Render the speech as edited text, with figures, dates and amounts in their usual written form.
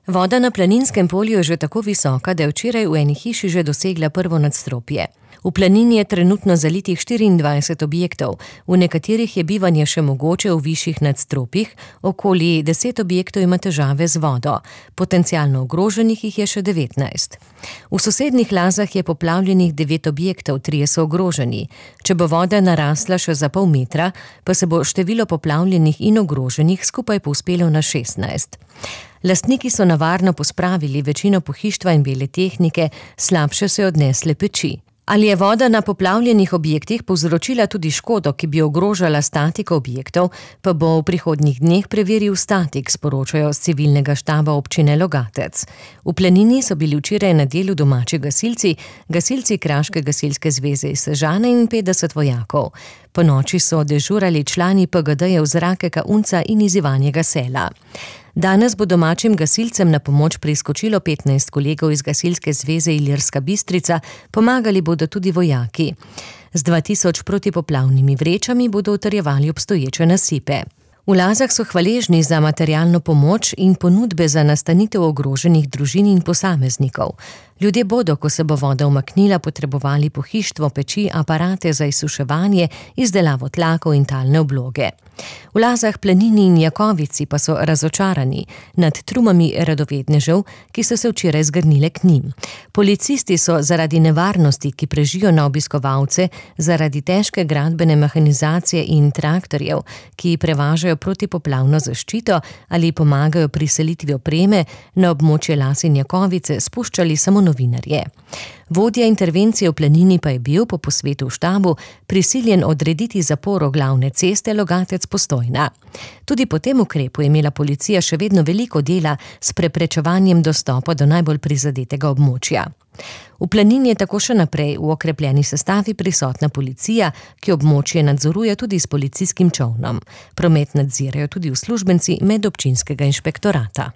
Voda na Planinskem polju je že tako visoka, da je včeraj v eni hiši že dosegla prvo nadstropje. V Planini je trenutno zalitih 24 objektov, v nekaterih je bivanje še mogoče v višjih nadstropjih, okoli 10 objektov ima težave z vodo, potencialno ogroženih jih je še 19. V sosednjih Lazah je poplavljenih 9 objektov, 3 so ogroženi. Če bo voda narasla še za pol metra, pa se bo število poplavljenih in ogroženih skupaj povzpelo na 16. Lastniki so navarno pospravili večino pohištva in bele tehnike, slabše so odnesle peči. Ali je voda na poplavljenih objektih povzročila tudi škodo, ki bi ogrožala statiko objektov, pa bo v prihodnjih dneh preveril statik, sporočajo z civilnega štaba občine Logatec. V Planini so bili včeraj na delu domači gasilci Kraške gasilske zveze iz Sežane in 50 vojakov. Po noči so dežurali člani PGD-jev Zrakeka Unca in iz Ivanjega Sela. Danes bo domačim gasilcem na pomoč priskočilo 15 kolegov iz Gasilske zveze Ilirska Bistrica, pomagali bodo tudi vojaki. Z 2000 protipoplavnimi vrečami bodo utrjevali obstoječe nasipe. V Lazah so hvaležni za materialno pomoč in ponudbe za nastanitev ogroženih družin in posameznikov. Ljudje bodo, ko se bo voda umaknila, potrebovali pohištvo, peči, aparate za izsuševanje, izdelavo tlakov in talne obloge. V Lazah, Planini in Jakovici pa so razočarani nad trumami radovednežev, ki so se včeraj zgrnile k njim. Policisti so zaradi nevarnosti, ki prežijo na obiskovalce, zaradi težke gradbene mehanizacije in traktorjev, ki prevažajo protipoplavno zaščito ali pomagajo pri selitvi opreme, na območje Las in Jakovice spuščali samo novinarje. Vodja intervencije v Planini pa je bil po posvetu v štabu prisiljen odrediti zaporo glavne ceste Logatec-Postojna. Tudi po tem ukrepu je imela policija še vedno veliko dela s preprečevanjem dostopa do najbolj prizadetega območja. V Planini je tako še naprej v okrepljeni sestavi prisotna policija, ki območje nadzoruje tudi s policijskim čolnom. Promet nadzirajo tudi uslužbenci medobčinskega inšpektorata.